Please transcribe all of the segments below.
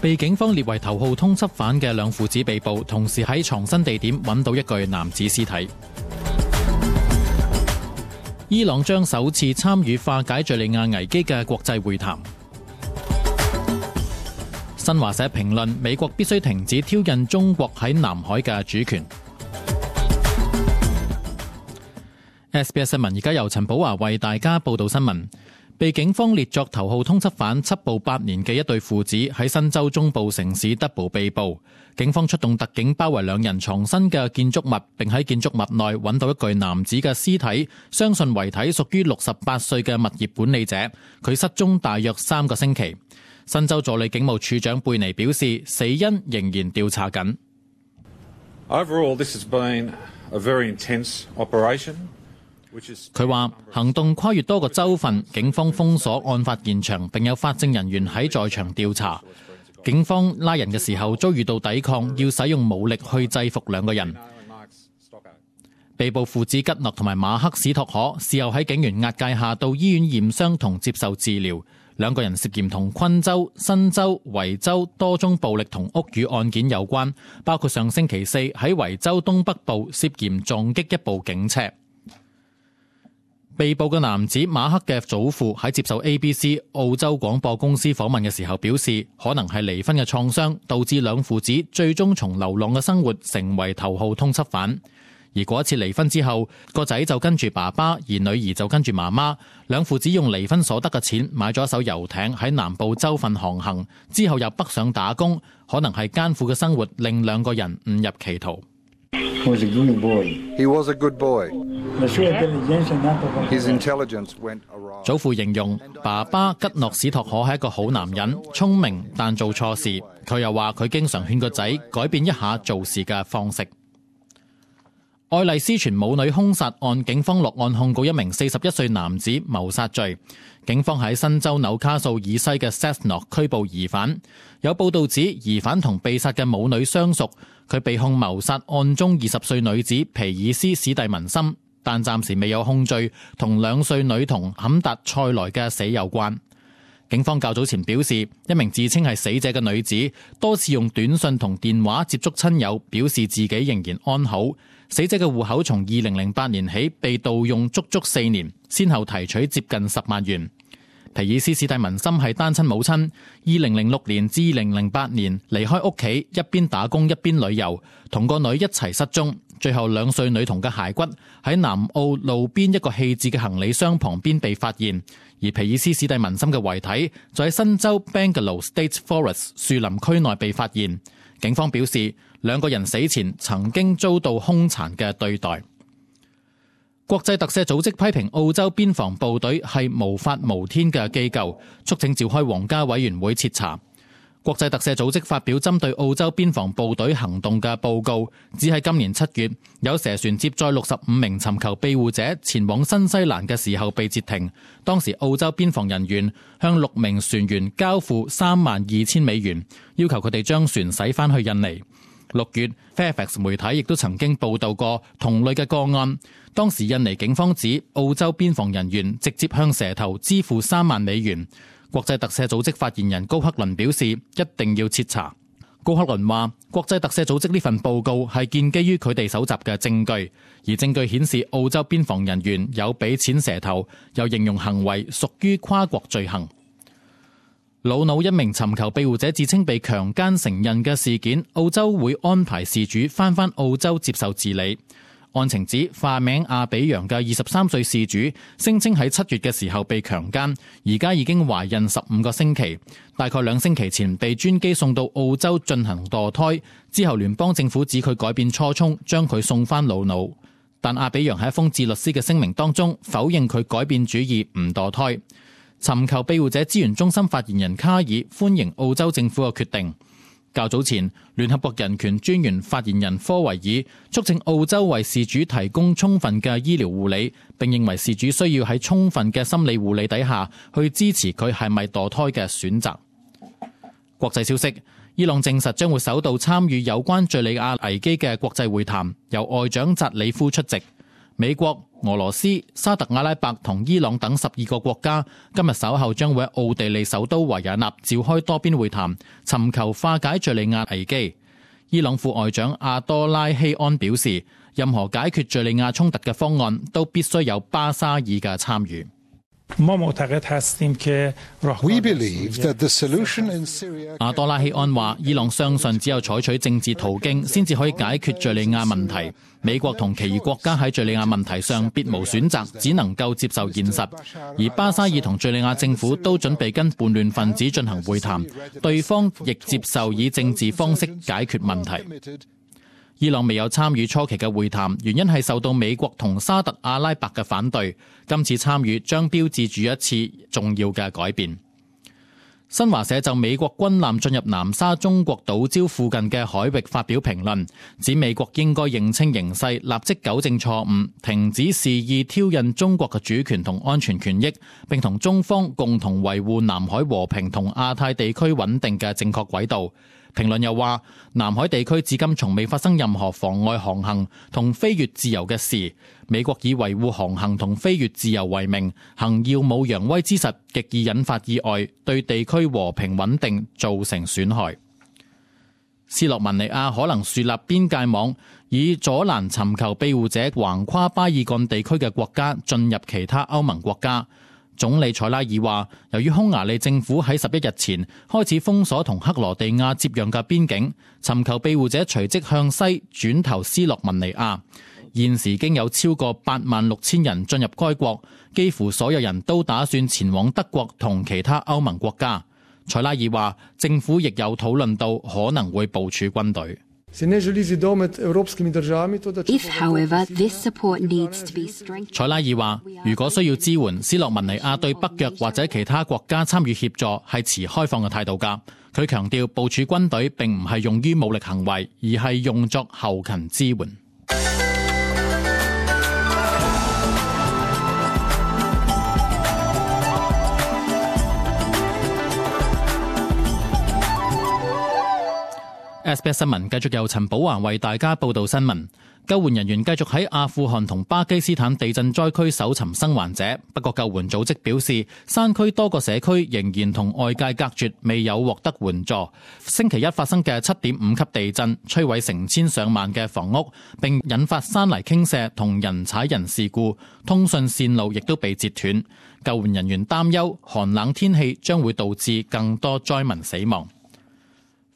被警方列為頭號通緝犯嘅兩父子被捕，同時喺藏身地點揾到一具男子屍體。伊朗將首次參與化解敘利亞危機嘅國際會談。新華社評論美國必須停止挑釁中國喺南海嘅主權。SBS 新聞而家由陳寶華為大家報道新聞。被警方列作頭號通緝犯緝捕8年嘅一對父子喺新州中部城市德堡被捕。警方出動特警包圍兩人藏身嘅建築物，並喺建築物內揾到一具男子嘅屍體，相信遺體屬於68歲嘅物業管理者。佢失蹤大約3個星期。新州助理警務處長貝尼表示，死因仍然調查緊。Overall, this has been a very intense operation. 佢話行動跨越多個州份，警方封鎖案發現場，並有法證人員喺在場調查。警方拉人嘅時候遭遇到抵抗，要使用武力去制服兩個人。被捕父子吉諾同埋馬克史托可事後喺警員押解下到醫院驗傷同接受治療。兩個人涉嫌同昆州、新州、維州多宗暴力同屋宇案件有關，包括上星期四喺維州東北部涉嫌撞擊一部警車。被捕嘅男子馬克嘅祖父喺接受 ABC 澳洲廣播公司訪問嘅時候表示，可能係離婚嘅創傷導致兩父子最終從流浪嘅生活成為頭號通緝犯。而嗰一次離婚之後，個仔就跟住爸爸，而女兒就跟住媽媽。兩父子用離婚所得嘅錢買咗一艘遊艇喺南部州份航行，之後又北上打工。可能係艱苦嘅生活令兩個人誤入歧途。He was a good boy. His intelligence went awry. 祖父形容爸爸吉諾史托可係一個好男人，聰明但做錯事。佢又話佢經常勸個仔改變一下做事嘅方式。愛麗絲泉母女兇殺案，警方落案控告一名41歲男子謀殺罪。警方喺新州紐卡素以西嘅 Cessnock 拘捕疑犯。有報道指疑犯同被殺嘅母女相熟，佢被控謀殺案中20歲女子皮爾斯史蒂文森，但暫時未有控罪同2歲女童坎達塞萊嘅死有關。警方較早前表示，一名自稱係死者嘅女子多次用短信同電話接觸親友，表示自己仍然安好。死者嘅戶口從2008年起被盜用足足4年，先後提取接近10萬元。皮爾斯史蒂文森係單親母親，2006年至2008年離開屋企，一邊打工一邊旅遊，同個女一齊失蹤。最後2歲女童嘅骸骨喺南澳路邊一個棄置嘅行李箱旁邊被發現，而皮爾斯史蒂文森嘅遺體就喺新州 Bangalow State Forest 樹林區內被發現。警方表示，兩個人死前曾經遭到兇殘嘅對待。國際特赦組織批評澳洲邊防部隊係無法無天嘅機構，促請召開皇家委員會徹查。國際特赦組織發表針對澳洲邊防部隊行動嘅報告，指喺今年7月，有蛇船接載65名尋求庇護者前往新西蘭嘅時候被截停。當時澳洲邊防人員向6名船員交付32,000美元，要求佢哋將船駛返去印尼。6月 Fairfax 媒體亦都曾經報道過同類嘅個案，當時印尼警方指澳洲邊防人員直接向蛇頭支付3萬美元。國際特赦組織發言人高克倫表示，一定要徹查。高克倫話，國際特赦組織呢份報告係建基於佢哋搜集嘅證據，而證據顯示澳洲邊防人員有俾錢蛇頭，又形容行為屬於跨國罪行。魯魯一名尋求庇護者自稱被強姦成孕嘅事件，澳洲會安排事主返澳洲接受治理。案情指化名阿比揚嘅23歲事主聲稱喺7月嘅時候被強姦，而家已經懷孕15個星期，大概2星期前被專機送到澳洲進行墮胎，之後聯邦政府指佢改變初衷，將佢送返魯魯。但阿比揚喺一封致律師嘅聲明當中否認佢改變主意唔墮胎。尋求庇護者資源中心發言人卡爾歡迎澳洲政府嘅決定。較早前，聯合國人權專員發言人科維爾促請澳洲為事主提供充分嘅醫療護理，並認為事主需要喺充分嘅心理護理底下去支持佢係咪墮胎嘅選擇。國際消息，伊朗證實將會首度參與有關敘利亞危機嘅國際會談，由外長扎里夫出席。美國、俄羅斯、沙特阿拉伯同伊朗等12個國家今日稍後將會喺奧地利首都維也納召開多邊會談，尋求化解敘利亞危機。伊朗副外長阿多拉希安表示，任何解決敘利亞衝突嘅方案都必須有巴沙爾嘅參與。阿多拉希安話，伊朗相信只有採取政治途徑先至可以解決敘利亞問題。美國同其餘國家喺敘利亞問題上別無選擇，只能夠接受現實。而巴沙爾同敘利亞政府都準備跟叛亂分子進行會談，對方亦接受以政治方式解決問題。伊朗未有參與初期嘅會談，原因係受到美國同沙特阿拉伯嘅反對。今次參與將標誌住一次重要嘅改變。新華社就美國軍艦進入南沙中國島礁附近嘅海域發表評論，指美國應該認清形勢，立即糾正錯誤，停止肆意挑釁中國嘅主權同安全權益，並同中方共同維護南海和平同亞太地區穩定嘅正確軌道。評論又話，南海地區至今從未發生任何妨礙航行同飛越自由嘅事。美國以維護航行同飛越自由為名，行耀武揚威之實，極易引發意外，對地區和平穩定造成損害。斯洛文尼亞可能樹立邊界網，以阻攔尋求庇護者橫跨巴爾幹地區嘅國家進入其他歐盟國家。總理塞拉爾話，由於匈牙利政府喺11日前開始封鎖同克羅地亞接壤嘅邊境，尋求庇護者隨即向西轉投斯洛文尼亞。現時已經有超過86000人進入該國，幾乎所有人都打算前往德國同其他歐盟國家。塞拉爾話，政府亦有討論到可能會部署軍隊。If, however, this support needs to be strengthened. 塞拉爾話，如果需要支援，斯洛文尼亞對北約或者其他國家參與協助係持開放嘅態度㗎。佢強調，部署軍隊並唔係用於武力行為，而係用作後勤支援。SBS 新聞繼續由陳寶華為大家報道新聞。救援人員繼續喺阿富汗同巴基斯坦地震災區搜尋生還者，不過救援組織表示，山區多個社區仍然同外界隔絕，未有獲得援助。星期一發生嘅7.5級地震，摧毀成千上萬嘅房屋，並引發山泥傾瀉同人踩人事故，通訊線路亦都被截斷。救援人員擔憂寒冷天氣將會導致更多災民死亡。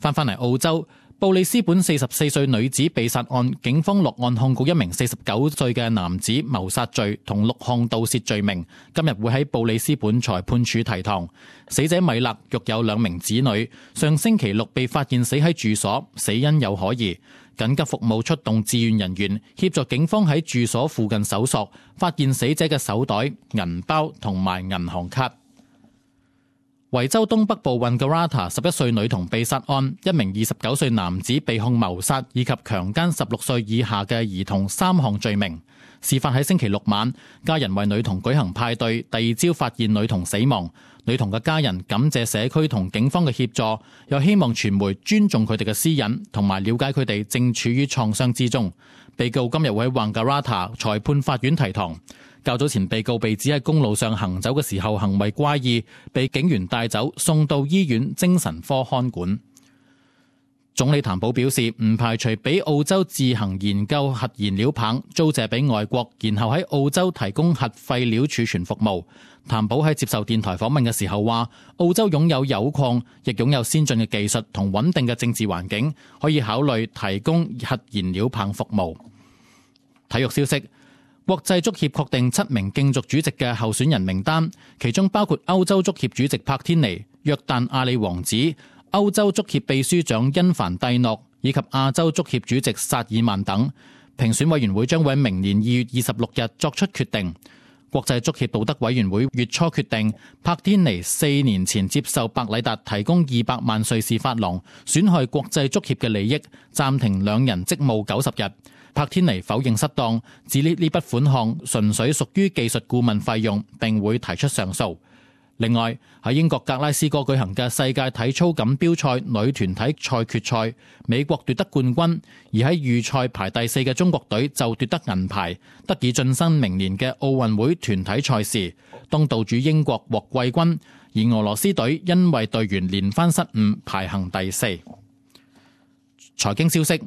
返嚟澳洲，布里斯本44歲女子被殺案，警方落案控告一名49歲嘅男子謀殺罪同6項盜竊罪名，今日會喺布里斯本裁判處提堂。死者米勒育有2名子女，上星期六被發現死喺住所，死因有可疑。緊急服務出動志願人員協助警方喺住所附近搜索，發現死者嘅手袋、銀包同埋銀行卡。維州東北部溫哥華11歲女童被殺案，一名29歲男子被控謀殺以及強姦16歲以下嘅兒童3項罪名。事發喺星期六晚，家人為女童舉行派對，第二朝發現女童死亡。女童嘅家人感謝社區同警方嘅協助，又希望傳媒尊重佢哋嘅私隱，同埋了解佢哋正處於創傷之中。被告今日會喺溫哥華裁判法院提堂。較早前，被告被指喺公路上行走嘅時候行為怪異，被警員帶走，送到醫院精神科看管。總理譚寶表示，唔排除俾澳洲自行研究核燃料棒租借俾外國，然後喺澳洲提供核廢料儲存服務。譚寶喺接受電台訪問嘅時候話，澳洲擁有鈾礦，亦擁有先進嘅技術同穩定嘅政治環境，可以考慮提供核燃料棒服務。體育消息，國際足協確定7名競逐主席嘅候選人名單，其中包括歐洲足協主席柏天尼、約旦阿里王子、歐洲足協秘書長因凡蒂諾以及亞洲足協主席薩爾曼等。評選委員會將會喺明年2月26日作出決定。國際足協道德委員會月初決定，柏天尼4年前接受白禮達提供200萬瑞士法郎，損害國際足協嘅利益，暫停兩人職務90日。柏天尼否認失當，指呢筆款項純粹屬於技術顧問費用，並會提出上訴。另外，喺英國格拉斯哥舉行嘅世界體操錦標賽女團體賽決賽，美國奪得冠軍，而喺預賽排第4嘅中國隊就奪得銀牌，得以晉身明年嘅奧運會團體賽事。東道主英國獲季軍，而俄羅斯隊因為隊員連番失誤，排行第4。財經消息，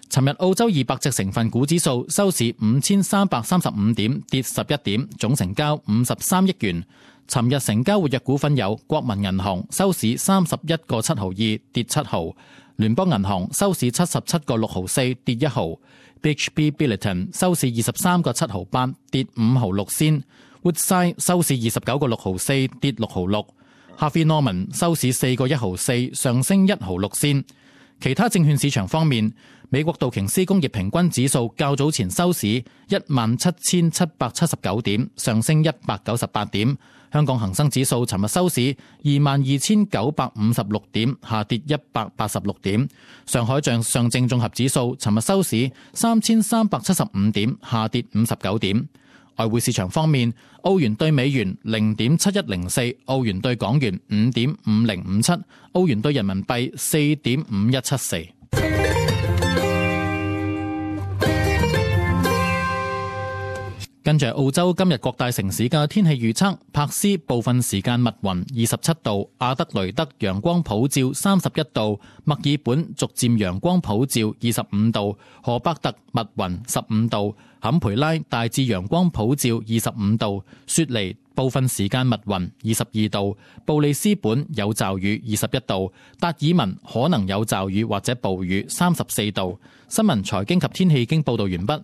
尋日澳洲200隻成分股指數收市5335點，跌11點，總成交53億元。尋日成交活躍股份有國民銀行收市31個7毫2，跌7毫；聯邦銀行收市77個6毫4，跌1毫；BHP Billiton 收市23個7毫8，跌5毫6仙；Woodside 收市29個6毫4，跌6毫6；Harvey Norman 收市4個1毫4，上升1毫6仙。其他證券市場方面，美國道瓊斯工業平均指數較早前收市17,779點，上升198點。香港恒生指數尋日收市22,956點，下跌186點。上海上證綜合指數尋日收市3,375點，下跌59點。外匯市場方面，澳元對美元0.7104，澳元對港元5.5057，澳元對人民幣4.5174。跟住澳洲今日各大城市嘅天氣預測：柏斯部分時間密雲27度，阿德雷德陽光普照31度，墨爾本逐漸陽光普照25度，荷伯特密雲15度，坎培拉大致陽光普照25度，雪梨部分時間密雲22度，布里斯本有驟雨21度，達爾文可能有驟雨或者暴雨34度。新聞財經及天氣經報道完畢。